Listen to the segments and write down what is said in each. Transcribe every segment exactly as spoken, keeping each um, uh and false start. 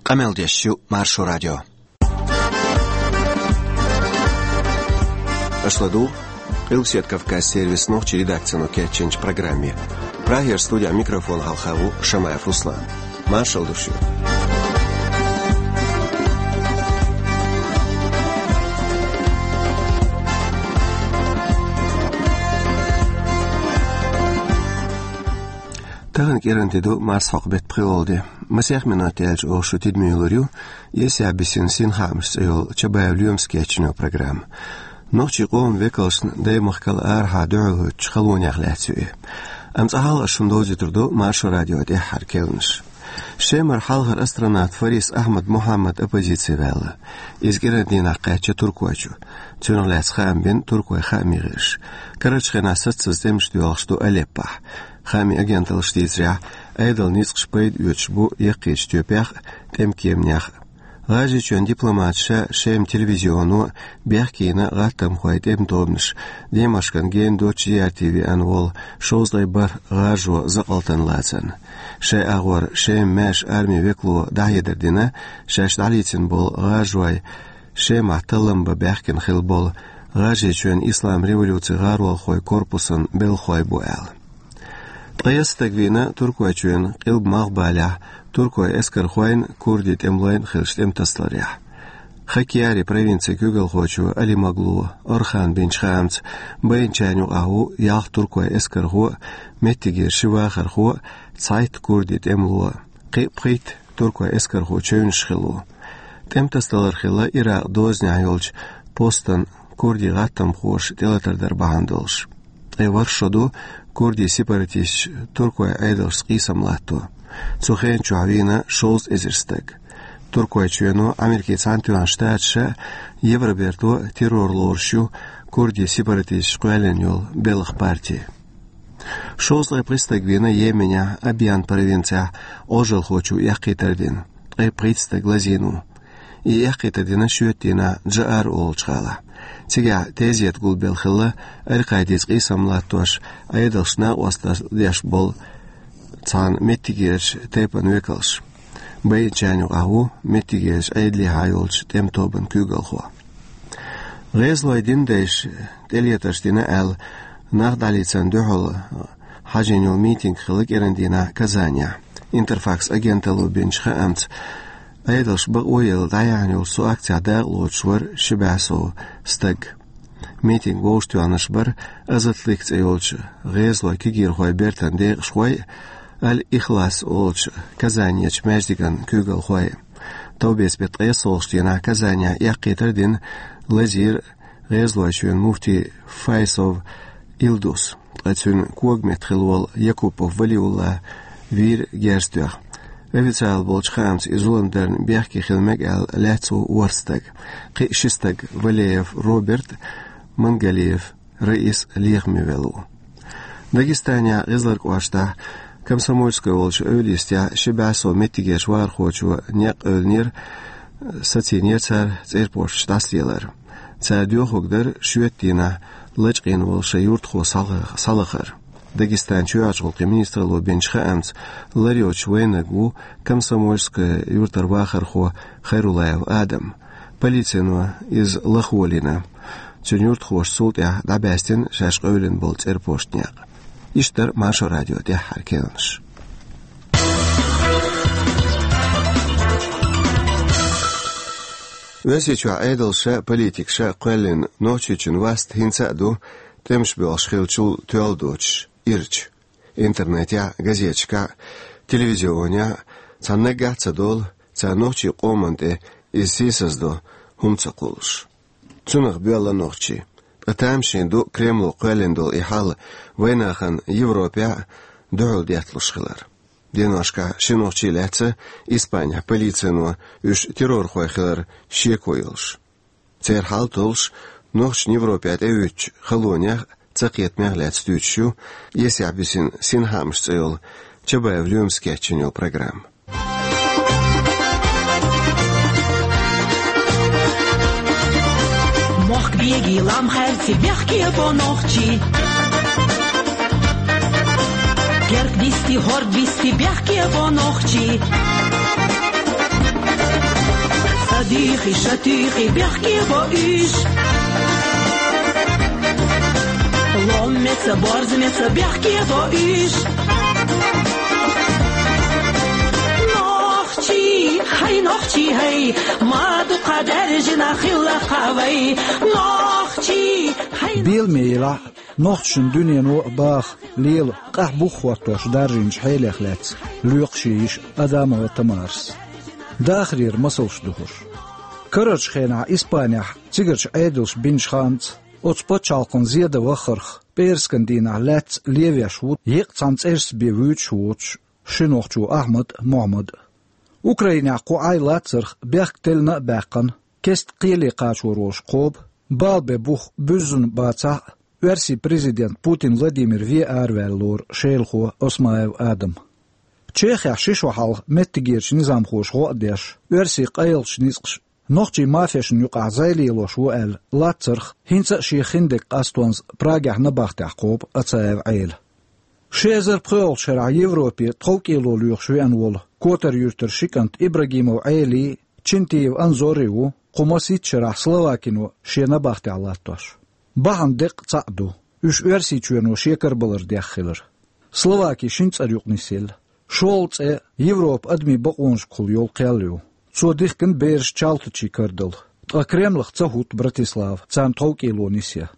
Къамел деш ю Маршо радио. Аша ладугӀу Къилбаседа Кавказ сервисан нохчийн редакцино кечйинчу программе. Прагера студехь микрофон хьалха ву Шамаев Руслан. Маршалла ду шуьга. Тахана кӀиранди ду марсхьокху беттан пхоьалгӀа де. Масех минот яьлча оха шу тидаме йолур ю «Эсехь бисина синхаамаш» цӀе йолу Чабаев Лоьмас кечйина программа. Нохчийн къоман векалшна даймахкал арахьа дуьхьал хӀуьттучу халонех лаьцна ю и. Амма цкъа хьалха ас шуна довзуьйтур ду Маршо радион тӀаьххьара керланаш. Шемара хьалхара астронавт Фарис Ахьмад Мухьаммад оппозици ваьлла. Иза кӀиран дийнахь кхаьчна Туркойчу. Цунах лаьцна хаам бина туркойн хаамийн гӀирсаша. Карарчу хенахь саццаза тӀемаш доьлхуш ду Алеппохь. Хаамийн агенталлаша дийцарехь, Ӏедалан ницкъаша пайда оьцуш бу яккхийчу тоьпех а, тӀеман кеманех а. ГӀажарийчоьнан дипломаташа Шеман телевизионо бехке йина гӀаттамхойн тӀеман тобанаш, демашкан гена доцчу зиярте веана волу шовзткъе бархӀ гӀажо закъалтана лацарна. Шайн агӀор Шеман маьрша армин векало дӀахьедар дина, шаьш дӀалецна болу гӀажой Шемахь таллам бан баьхкина хилла болу ГӀажарийчоьнан исламан революцин гӀаролхойн корпусан белхахой бу аьлла. Ткъе ялх стаг вийна Туркойчоьнан Къилба-Малхбалехь туркойн эскархойн, курдийн тӀемалойн хиллачу тӀематасаларехь. Хаккьяри провинцин куьйгалхочо Алимоглу Орхана бинчу хаамца, байначарна юкъахь ву ялх туркойн эскархо а, меттигера ши вахархо а, цхьайтта курдийн тӀемало а. Кхин а пхийтта туркойн эскархо чевнаш хилла ву. ТӀематасадалар хилла Иракъан дозанехь йолчу постан курдийн гӀаттамхоша тӀелатар дар бахьана долуш. Ткъе ворхӀ шо ду курдийн сепаратисташа туркойн Ӏедалшца къийсам латто. Цу хенан чохь вийна шовзткъа эзар стаг. Туркойчоьно, Америкин Цхьаьнатоьхна Штаташа а, Евробарто а террор лоруш ю курдийн сепаратисташа кхоьллина йолу белхан парти. Шовзткъе пхи стаг вийна Йеменехь Абьян провинцехь Ӏожалхочо эккхийтар дина, ткъе пхийтта стаг лазийна ву. И эккхийтар дина шоьтан дийнахь Джаар олучу гӀалахь. Цигахь тезета гулбелла хилла Аль-Къаидица къийсам латтош, Ӏедалшна накъосталла деш болу цхьана меттигерчу тайпана векалш. Байначарна юкъахь ву меттигерчу Ӏедалехьа йолчу тӀеман тобанан куьйгалхо. ГӀезалойн динан дайша тӀелетарш дина аьлла, нах дӀалецарна дуьхьал хьажийна йолу митинг хилла кӀиран дийнахь Казанехь. Интерфакс агенталло бинчу хаамца, Ӏедалша бакъо а елла дӀаяьхьна йолчу цу акцехь дакъалоцуш вара ши бӀе сов стаг. Митинг вовшахтоьхнарш бара Азатлик цӀе йолчу гӀезалойн кегийрхойн бертан декъашхой а, Аль-Ихлас олучу Казанерчу маьждиган куьйгалхой а. Товбеца беттан ткъе ялхалгӀачу дийнахь Казанехь эккхийтар а дина, лазийра ГӀезалойчоьнан муфти Файсов Илдус, ткъа цуьнан когаметта хилла волу Якупов Валиулла вийра герз тоьхна. Официалан болчу хаамца, и зулам дарна бехке хила мега аьлла лаьцна ву ворхӀ стаг. Кхин а ши стаг, Валеев Роберт а, Мангалиев Раис а лехаме велла ву. Дагестанехь ГӀезалойн кӀоштахь Комсомольская олучу эвла йистехь ши бӀе сов меттигерчу вахархочо некъ эвлинера, сацийнера цара цӀерпошташ дӀасалелар. Цара доьхург дара шоьтан дийнахь лачкъийна волу шайн юьртахо схьала-, схьалахар. Дагестанан чоьхьарчу гӀуллакхийн министралло бинчу хаамца, лар йоцуш вайнарг ву Комсомольская юьртара вахархо Хайрулаев Адам. Полицино иза лахволийна. Цуьнан юьртахоша цул тӀаьхьа дӀабаьстина шаьш къевлина болу цӀерпоштан некъ. Иштта дара Маршо радион тӀаьххьара керланаш. Оьрсийчохь Ӏедалша а, политикаша а кхоьллина Нохчийчун васт хӀинца а ду, тӀемаш боьлхуш хиллачул тоьлла доцуш, ирча. Интернетехь а, газеташкахь а, телевизионехь а цхьа наггахь а ца долу, цара нохчийн къоманна тӀе иза сийсаздо хӀума ца кхуллуш. Цунах боьлла нохчий. Ткъа тамашийна ду Кремло кхоьллина долу и хьал вайнахана Европехь а дуьхьал детталуш хилар. Деношкахь ши нохчий лаьцна Испанехь полицино, уьш террорхой хилар шеко йолуш. Церан хьал толлуш, нохчашна Европе тӀеуьттучу халонех а, цакхетамех а лаьцна дуьйцуш ю «Эсехь бисина синхаамаш» цӀе йолу Чабаев Лоьмас кечйина йолу программа. Мохк бегий лам хаьрци бехке бо нохчий. Керк дисти, хӀорд бисти бехке бо нохчий. Дихи шатихи бехке бо иш. Ломмеца борзмеца бехке бо иш. Нохчи, хай нохчи, хай. Маду кадар жина хилла хавай. Нохчи, хай. Белмейла, нохчун дуьнено бах, лела, къахь бух хӀоттош даржинчу хьелех лаьцна, лоькхуш йиш Адамова Тамарас. Дахарера масалш ду хӀорш. Карарчу хенахь Испанехь цигарчу Ӏедалш бинчу ханца, оцу пачхьалкхан зеда вахарх, пӀераскан дийнахь лаьцна левеш ву еккъа цхьана цӀерашца бен вуьйцуш воцуш ши нохчо Ахьмад а, Мохьмад а. Украинехь кху Ӏай лацарх бехк теллина а баьккхина, кеста кхеле кхачор волуш кхоба, бала бен бух буьззина бацахь а, оьрсийн президент Путин Владимир вен араваьлла лору шелахо Осмаев Адам. Чехехь ши шо хьалха меттигерчу низамхоша гӀо а деш, оьрсийн къайлахчу ницкъаша нохчийн мафешна юкъахь зӀе лелош ву аьлла лацарх, хӀинца а шен хиндерг къастонза Прагехь набахтехь кхоба Ацаев Ӏела. Ши эзар пхоьалгӀачу шарахь Европе тховкӀело лоьхуш веана волу Котар-Юьртара ши кӀант Ибрагимов Ӏелий, Чинтиев Анзорий ву кху масийтта шарахь Словакино шен набахтехь латтош. Бахьана деккъа цхьаъ ду: уьш Оьрсийчоьно шекарбалар дех хилар. Словаки шина цӀарна юкъа нисъелла. ШолгӀа цӀе Европа адамийн бакъонашкахула йолу кхел ю. Цо дихкина бераш чалтачийн карадала. Ткъа Кремлах ца хӀутту Братислава, царна тховкӀело нисъян.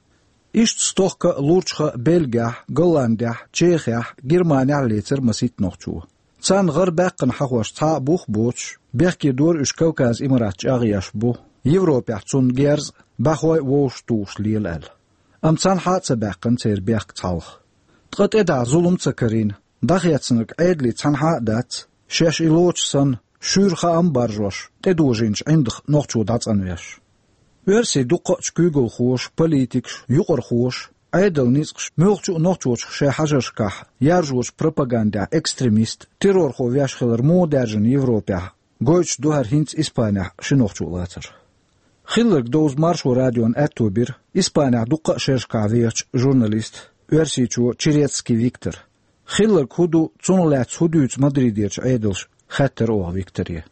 Иштта стохка а, лурчха а Бельгехь, Голландехь, Чехехь, Германехь а лецира масийтта нохчо. Царна гӀара баьккхина хьахош цхьа а бух а боцуш, бехке дора уьш Кавказ-Имарат чӀагӀъеш бу, Европехь цунна герз а, бӀаьхой а вовшахтухуш лела аьлла. Амма цхьанхьа а ца баьккхина церан бехк цхьалха. Ткъа тӀедахь зулам а ца карийна, дӀахецнарг Ӏедале цхьанхьа а дац, шаьш и лоцуш санна, шуьйра хаам а баржош, тӀедожийначу ӀиндагӀа нохчо дӀацӀанвеш. Оьрсийн дуккхаъчу куьйгалхоша, политикаша, юкъархоша, Ӏедалан ницкъаша муьлххачу а нохчочух шайн хьажаршкахь, яржочу пропагандехь экстремист, террорхо веш хилар муха даьржина Европехь, гойтуш ду хӀара хӀинца Испанехь ши нохчо лацар. Хилларг довза Маршо радиона аьтто бира Испанехь дуккха а шерашкахь вехачу журналиста, оьрсичо Черецкий Виктора. Хилларг хӀун ду, цунах лаьцна хӀун дуьйцу Мадридерчу Ӏедалша, хаьттира оха Викторе.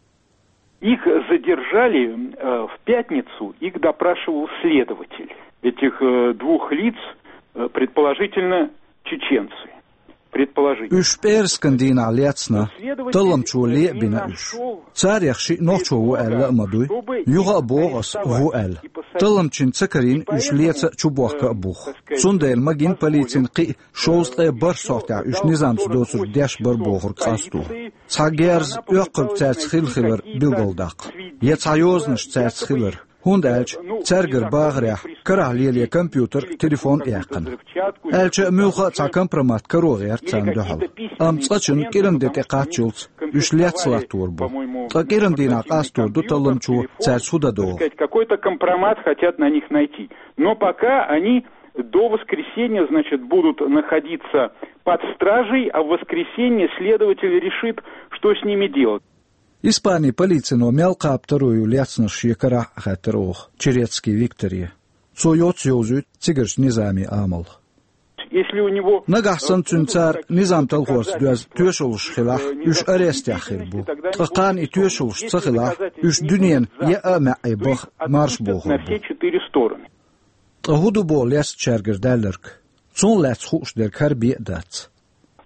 Их задержали, э, в пятницу, их допрашивал следователь. Этих, э, двух лиц, э, предположительно, чеченцы. Предположительно. Уьш пӀераскан дийнахь лецна, талламчо ле а бина уьш. Царех шиъ нохчо ву аьлла а ма дуй, юха а боху ас, ву аьлла. Талламчин ца карийна уьш леца а, чубохка а бух. Цундела магийна полицина кхин а шовзткъе бархӀ сохьтехь уьш низамца доцург деш бара бохург къасто. Цхьа герз, оьккхург цаьрца хилла хилар билгалдаккха. Я цхьа йозанаш цаьрца хилар. ХӀунда аьлча цаьргара бахарехь карахь лело компьютер, телефон а яьккхина. Аьлча а муьлхха а цхьа компромат каро гӀерта царна дуьхьал. Амма цкъачунна кӀиран де тӀе кхаччалц уьш лецна латтор бу. Ткъа кӀиран дийнахь къастор ду талламчо цаьрца хӀун дан догӀу. Какой-то компромат хотят на них найти. Но пока они до воскресенья, значит, будут находиться под стражей, а в воскресенье следователь решит, что с ними делать. Испанин полицино мел кхаба таро ю лецнарш шен карахь а, хаьттира оха Черецкий Викторе. Цо йоцца йовзуьйту цигарчу низамийн амал. Если у него... Нагахь санна цуьнан цара низам талхорца доьзна тоьшаллаш хилахь, уьш арестехь хир бу. Ткъа кхана и тоьшаллаш ца хилахь, уьш дуьненан еа а маьӀӀе баха марша бохур бу. На все четыре стороны. Ткъа хӀун ду боху лецначаьргара даьлларг? Цунах лаьцна хууш дерг хӀара бен а дац.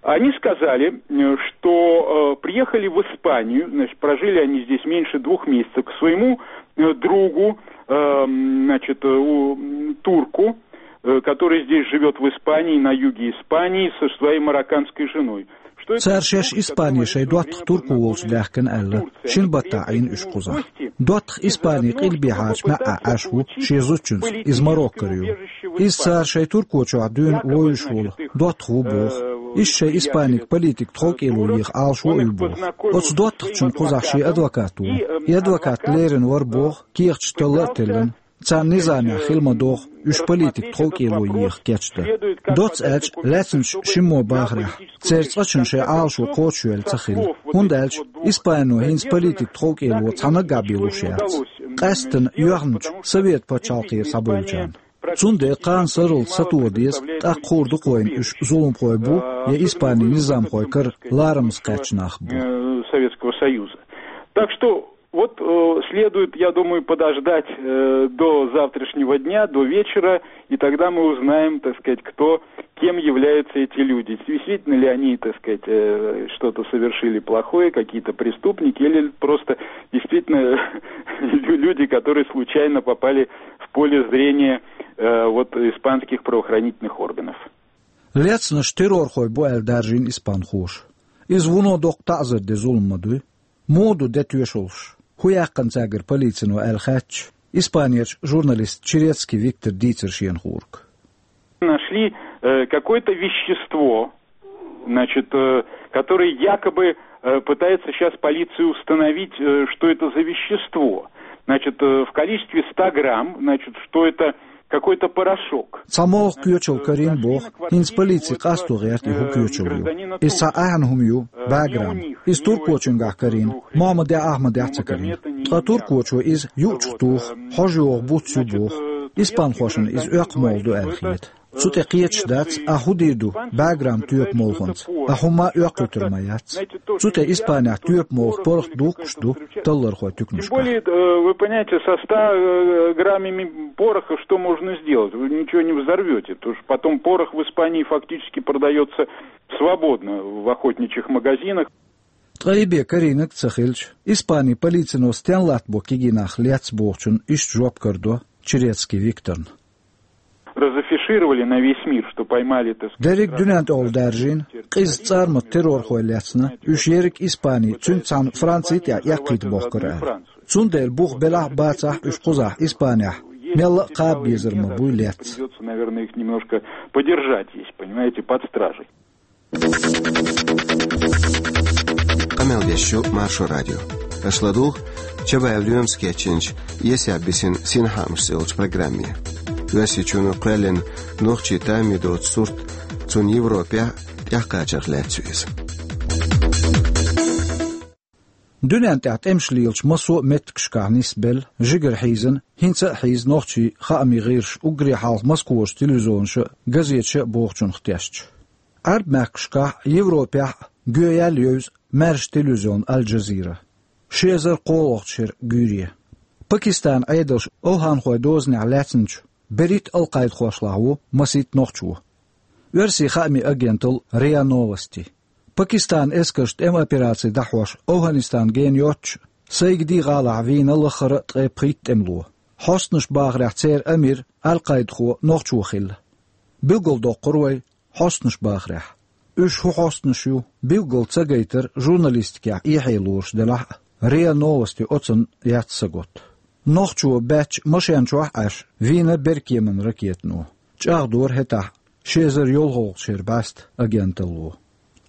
Они сказали, э, что, э, приехали в Испанию, значит, прожили они здесь меньше двух месяцев, к своему, э, другу, э, м, значит, э, у, м, турку, э, который здесь живёт в Испании, на юге Испании, со своей марокканской женой. Цара шаьш Испане шайн доттагӀа турко волчу даьхкина аьлла, шина баттахь Ӏийна уьш кхузахь. ДоттагӀа Испане къилбехьарчу маьӀӀехь Ӏаш ву шен зудчуьнца, иза Мароккара ю. Иза цара шайн турко чохь дуьйна вовзуш волу доттагӀа ву боху. Иза шайн испаниг политик тховкӀело еха Ӏалашо а ю боху. Оцу доттагӀчунна кхузахь шен адвокат ву. И адвокат леррина вара боху, кехаташ талла а теллина. Царна низамехь хила ма догӀу уьш политик тховкӀело еха кечдан. Доцца аьлча, лаьцначу шиммо бахарехь, церан цкъачунна шайн Ӏалашо кхочушъевлла ца хилла, хӀунда аьлча Испано хӀинца политик тховкӀело цхьа наггахь бен луш яц, къаьсттина йоьхначу Совет пачхьалкхера схьабевллачарна. Цундела кхана сарралц сатоха деза, тӀаккха хуур ду-кх вайна, уьш зуламхой бу я Испанин низамхойн кара ларамаза кхаьчна нах бу. Э, Советского Союза. Так что Вот э, следует, я думаю, подождать э, до завтрашнего дня, до вечера, и тогда мы узнаем, так сказать, кто, кем являются эти люди. Действительно ли они, так сказать, э, что-то совершили плохое, какие-то преступники, или просто действительно лю- люди, которые случайно попали в поле зрения э, вот испанских правоохранительных органов. Лецнаш террорхой бу аьлла даржийна испанхоша. Иза вуно доккха таӀзар де зулам ма дуй. Муха ду де тоьшаллаш? ХӀун яьккхина цаьргара полицино аьлла хаьттача, Испанерчу журналиста Черецкий Виктора дийцар шена хӀорг. Нашли э, какое-то вещество, значит, э, которое якобы э, пытается сейчас полиция установить, э, что это за вещество. Значит, э, в количестве ста грамм, значит, что это какой-то порошок. Цхьа молха коьчалла карийна боху, хӀинца полици къасто гӀерта и хӀун коьчалла ю. Иза цхьа ахьа хӀума ю, бӀе грамм. Иза туркочуьнгахь карийна, мохь ма даьхьа, ахьа ма даьхьа ца карийна. Ткъа туркочо иза юучух туху, хьожа йогӀу буц ю боху. Испанхошна иза оьккху молха ду аьлла хета. Цу тӀе кхеташ дац, ахьа хӀун дийр ду бӀе грамм тоьпан молханца, ахьа хӀумма а оьккхуьйтур ма яц. Цу тӀе Испанехь тоьпан молха порох духкуш ду таллархойн туькнашкахь. Тем более, э, вы понимаете, со ста э, граммами пороха что можно сделать? Вы ничего не взорвете, потому что потом порох в Испании фактически продается свободно в охотничьих магазинах. Ткъа и бен карийнарг ца хилча, Испанин полицино стенна латтабо кегий нах лецна бохучунна иштта жоп карадо Черецкий Викторна. Разафишировали на весь мир, что поймали, так сказать, Дерриг дуьнен тӀехула даржийна, къиза цӀармат террорхой лецна, уьш ерриг Испани, цуьнца цхьаьна Франци тӀехь эккхийта бохкар аьлла. Цундела бух белахь а, бацахь а уьш кхузахь Испанехь, мелла а кхаба безар ма буй лецна. Придется, наверное, их немножко подержать здесь, понимаете, под стражей. Къамел деш ю Маршо радио. Аша ладугӀу Чабаев Лоьмас кечйинчу «Эсаб бисина синхаамаш» цӀе йолчу программе. Оьрсийчоьно кхоьллина нохчийн таммий доцу сурт, цунна Европехь тӀекхачарх лаьцна ю иза. Дуьнен тӀехь тӀемаш лелачу массо а меттигашкахь нисбелла, жигара хьийзина, хӀинца а хьийза нохчийн хаамийн гӀирсаш уггаре хьалха Москварчу телевизионаша а, газеташа а бохучунах тешча. Ӏаьрбийн мехкашкахь а, Европехь а гоьяьлла евза маьрша телевизион Аль-Джазира. Ши эзар кхоалгӀачу шеран гуьйре. Пакистанан Ӏедалша ОвхӀанхойн дозанехь лаьцначу берхӀитта алкъайдахошлахь ву масийтта нохчо. Оьрсийн хаамийн агенталла РИА Новости. Пакистанан эскарша тӀеман операци дӀахьош ОвхӀанистан гена йоццуш, Сайгди гӀалахь вийна лаххара а ткъе пхийтта тӀемало. Хьостанаш бахарехь церан амир, Аль-Къайдахо нохчо хилла. Билгалдоккхура вай, хьостанаш бахарехь. Уьш хӀун хьостанаш ю, билггал ца гайтар журналистикехь эхье лоруш делахь а, РИА Новости оцунна яц саготта. Нохчо баьчча машен чохь а Ӏаш, вийна беркеманан ракетано. ЧӀагӀдора хӀетахь, ши эзар йолхалгӀачу шеран бӀаьста агенталло.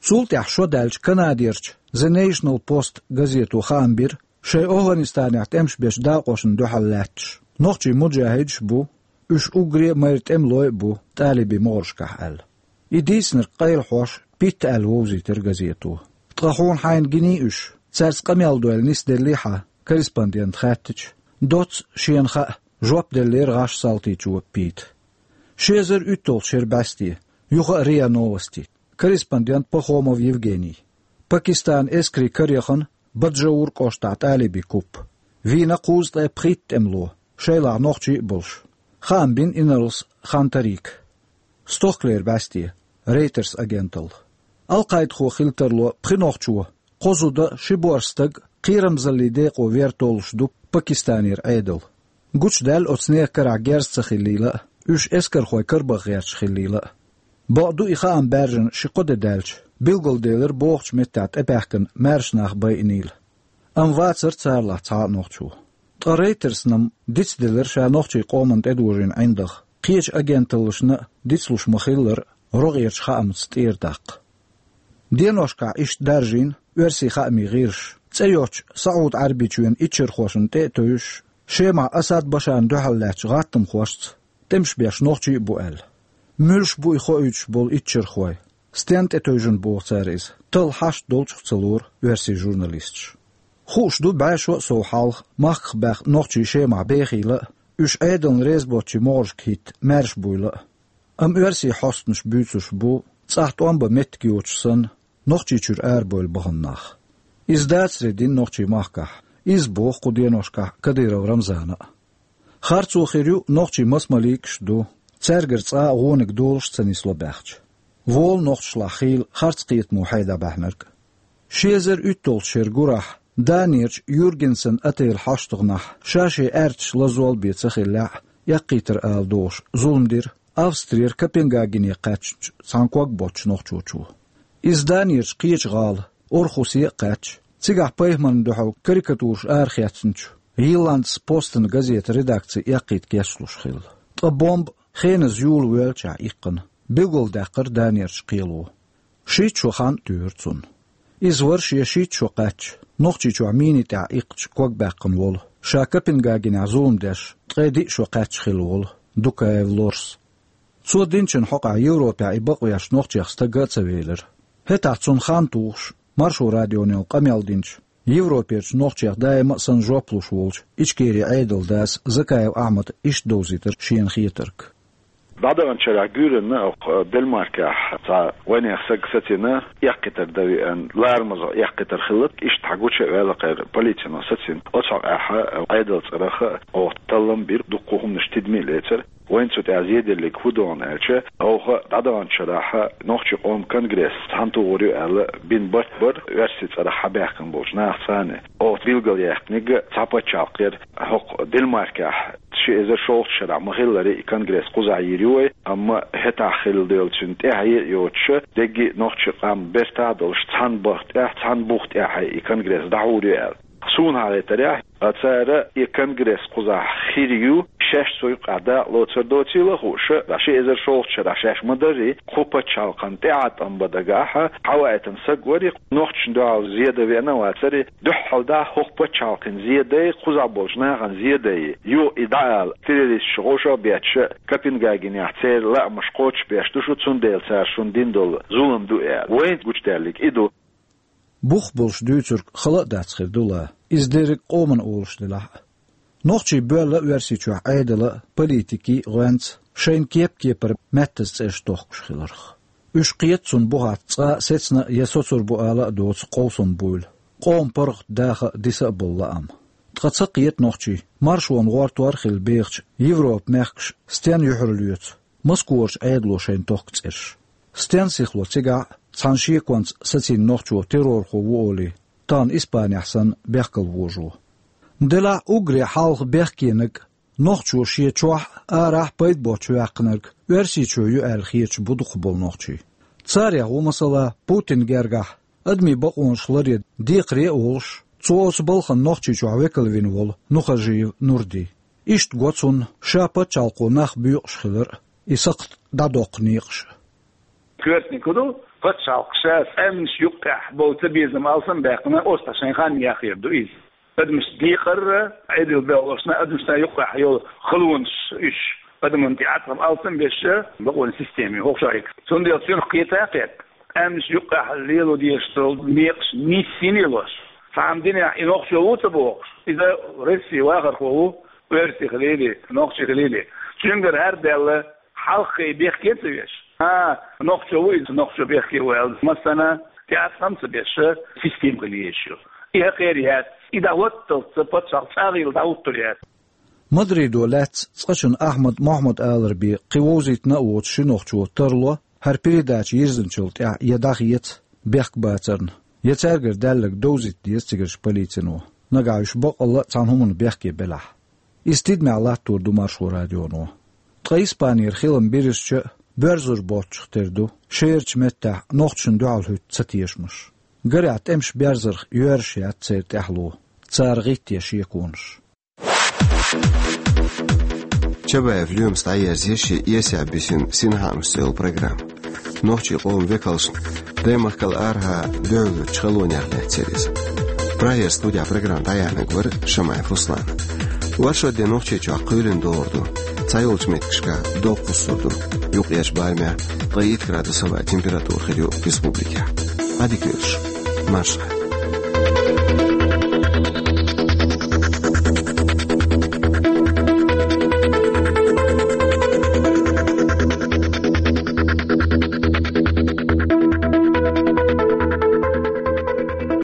Цул тӀаьхьа шо даьлча Канадерчу The National Post газето хаам бира, шайн ОвхӀанистанехь тӀемаш бечу дакъошна дуьхьал лаьтташ, нохчий муджахӀидаш а бу, уьш уггаре а майра тӀемалой а бу тӀалибийн могӀаршкахь аьлла. И дийцинарг къайлахьош, питта аьлла вовзийтира газето. Ткъа хьуна хьайна гиний уьш, цаьрца къамел дойла нисделлий хьан, корреспондента хаьттича, доцца шена хаьа, жоп деллера гӀаш салтичо Пита. Ши эзар уьтталгӀачу шеран бӀаьсте, юха а РИА Новости, корреспондент Пахомов Евгений. Пакистанан эскарийн кара яхана Баджаур кӀоштахь тӀалибийн куп. Вийна кхузткъе пхийтта тӀемало, шайлахь нохчий а болуш. Хаам бина инарлас Хантарика. Стохкалеран бӀаьсте, Рейтерс агенталла. Аль-Къайдахо хила тарло пхи нохчо, кхо зуда а, ши боьрша стаг а кхерамзаллин декъо вер толлуш ду Пакистанера Ӏедал. Гучудаьлла оцу нехан карахь герз ца хиллийла а, уьш эскархойн карабаха гӀерташ хиллийла а. Бакъду, и хаам баьржина ши-кхо де даьлча, билгалделира бохучу меттехь тӀебаьхкина маьрша нах байинийла. Амма вацара царалахь цхьа а нохчо. Ткъа Рейтерсна-м дицделира ша нохчийн къомана тӀедожийна ӀиндагӀа, кхечу агенталлашна а дицлуш ма-хиллара, рогӀерчу хаамца тӀера даккха. Деношкахь иштта даржийна оьрсийн хаамийн гӀирсаша цӀе йоцчу СаӀуд-Ӏаьрбийчоьнан иччархошна тӀе а тевжаш, Шемахь Асад Башарна дуьхьал лаьттачу гӀаттамхошца тӀемаш беш нохчий а бу аьлла. Муьлш бу и хоуьйтуш болу иччархой? Стенна тӀетевжина боху цара иза, талла хьашт долчух ца лора оьрсийн журналисташ. Хууш ду, бӀе шо а сов хьалха махках баьхна нохчий Шемахь бехийла а, уьш Ӏедална реза боцчийн могӀаршка хӀитта маьрша буйла а. Амма оьрсийн хьостанаша буьйцуш бу, цӀахь тӀом бан меттиг йоцуш санна, Нохчийчуьра арабевлла бахана нах. Иза дацаре дина нохчийн махкахь, Иза боху кху деношкахь Кадыров Рамзана а. Харцо хир ю нохчий масмаликаш ду, цаьргара цкъа а гӀониг долуш ца нисло баьхча. Волу нохчашлахь хийла харц кхетамо хьайда баьхьнарг. Ши эзар уьтталгӀачу шеран гурахь Данерчу Юргенсен отель хьаштагӀнахь ша-шен аьрташ лазол бен ца хиллехь а, эккхийтар ала догӀуш зулам дира Австрера Копенгагене кхаьчначу цхьана ког боцчу нохчочо. Иза Данерчу кхечу гӀала Орхусе а кхаьчча, цигахь пайхамарна дуьхьал карикатураш арахецначу Йилландс Постан газетан редакци эккхийта кечлуш хилла. Ткъа бомба хеназа юла воьллачохь иккхина, билгалдаьккхира Данерчу кхело. Шийтта шо хан а туьйхира цунна. Иза вара шен шийтта шо кхаьчча, Нохчийчохь миний тӀехь иккхачу ког баьккхина волу, ша Копенгагенехь зулам деш, ткъе диъ шо кхаьчча хилла волу Дукаев Лорс. Цо динчун хьокъехь Европехь и бакъвеш нохчех стаг а ца велира. ХӀетахь цунна хан тухуш, Маршо радионо къамел динчу, Европерчу нохчех даима а санна жоп луш волчу Ичкерин Ӏедалан дас Закаев Ахьмада иштта довзийтира шена хетарг. ДӀадаханчу шарахь гуьйранна оха Денмаркехь цхьа вайнехан саг сацийна, эккхийтар дан веана, ларамаза эккхийтар хилла, иштта хьагуча а ваьлла кхайра полицино сацийна. Оцу хьокъехь Ӏедалан цӀарах а оха таллам бира, дуккха хӀуманаш тидаме а лецира. Вайна цу тӀехь зеделлиг хӀун ду аьлча, оха дӀадаханчу шарахь нохчийн къоман конгресс цхьаьнатухур ю аьлла бина барт бара, оьрсийн цӀарах хьабаьхкина болчу нахаца цхьаьна. Оха билгалъяьккхинарг цхьа пачхьалкх яра, хӀокху Денмаркехь ши эзар шолгӀачу шарахь ма-хиллара и конгресс кхузахь йийр ю вай, амма хӀетахь хилла долчун тӀаьхье а йоцуш, дерриге а нохчийн къам бертахь а долуш, цхьана бахка тӀехь, цхьана буха тӀехь и конгресс дӀахьур ю аьлла. Суна хьахетарехь, а цара и конгресс кхузахь хир ю, шаьш цу юккъехь дакъа лоцур доцийла а хууш, ши эзар шолгӀачу шарахь шаьш ма-дарра, кху пачхьалкхан тӀеӀаткъам бан дагахь хьаваийтина саг вара, нохчашна дуьхьал зе дан веана а вацара, дуьххьалдахь хӀокху пачхьалкхана зе дай, кхузахь болчу нахана зе дай, юха и дӀаала, террористаш вовшах а бетташ, Копенгагенехь церан лаамаш кхочушбеш ду шу, цундела цара шуна дина долу зулам ду аьлла. Вайна гучудаьллиг и ду. Бух болуш дуьйцург хала а дац хир ду ла, иза дерриг а къоманна олуш делахь а. Нохчий боьлла Оьрсийчохь Ӏедалан а, политикийн а гӀоьнца, шайна кеп-кепара маьттаза цӀераш тохкуш хиларх. Уьш кхета цунна бухахь цкъа а сецна а я соцур бу ала а доцу къовсам буйла, къоман паргӀат даха а, диса а болу лаам. Ткъа ца кхета нохчий, маршонан гӀортор а хилла бехачу Европан мехкаша стенна юьхьарлоьцу Москварчу Ӏедало шайна тохку цӀераш. Стенна сихло цигахь а цхьана шеконца сацийна нохчо террорхо ву олий, тахана Испанехь санна бехкал вожо. Делахь а уггаре хьалха бехкенарг, нохчо шен чохь а, арахь а пайда боцуш ваьккхинарг Оьрсийчоь ю аьлла хеташ бу дукхахболу нохчий. Царех ву, масала, Путинна гергахь адамийн бакъонаш ларъян декхаре а волуш, цо оцу балхана Нохчийчохь векал вина волу Нухажиев Нурди. Иштта го цунна ша пачхьалкхо нах буькъуш хилар а, и сакхт дӀадоккху некъаш а. Коьртаниг хӀун ду, пачхьалкх ша цӀаьннаш юккъехь болу цабезам алсам а баьккхина, оццахь шайн хан яхъяр ду иза. Адамаш декъар а, Ӏедал бегӀлошна, адамашна юккъехь йолу халонаш уьш адамна тӀеӀаткъам алсам а беш, бакъонан система ю хӀокху шарахь. Цундела цуьнах кхета а кхетта, цӀаьннаш юккъехь лело дезаш долу некъаш нийса сий лелош. Цхьана динехь и нохчо ву ца бохуш, иза Россин вахархо ву, оьрси хилийла, нохчи хилийла. Цуьнгара хӀара даьлла, хьалххе бехке а ца веш. А, нохчо ву иза, нохчо бехке ву аьлла, массарна тӀеӀаткъам а ца беш, система хила езаш ю. И хӀокхеран яц, и дӀахӀотталц пачхьалкх цӀа а хилла дӀахӀуттур яц. Мадридо лаьцна цкъачунна Ахьмад Мохьмад-Аларбе кхин вовзийтина а воцу ши нохчо тарло, хӀара передача йирзинчул тӀаьхьа я дӀахеца бехк бацарна, я цаьргара даьлларг довзийта деза цигарчу полицино, нагахь уьш баккъалла а цхьана хӀуманна бехке белахь. Иза тидамехь латтор ду Маршо радионо. Ткъа Испанера хилам бирзича а, боьрзур боцчух тера ду, шерачу меттехь нохчашна дуьхьал хӀуьтту цатешамаш. Гарехь, тӀемаш берзарх йоьрзуш яц церан тӀаьхьало, цара гӀитте шеконаш. Чабаев Лоьмас дӀаерзийра шен эсехь бисина «Синхаамаш» цӀе йолу программа. Нохчийн къоман векалшна даймахкал арахьа дуьхьалоьцучу халонех лаьцна яра иза. Прагера студехь программа дӀаяьхьнарг вара Шамаев Руслан. Оршот де Нохчийчохь кхоьлина догӀур ду, цхьайолчу меттигашкахь догӀа кхуссур ду. Юккъерчу барамехь ткъе итт градус хилла температура хир ю республикехь. Ӏадика йойла шун. Маршалла.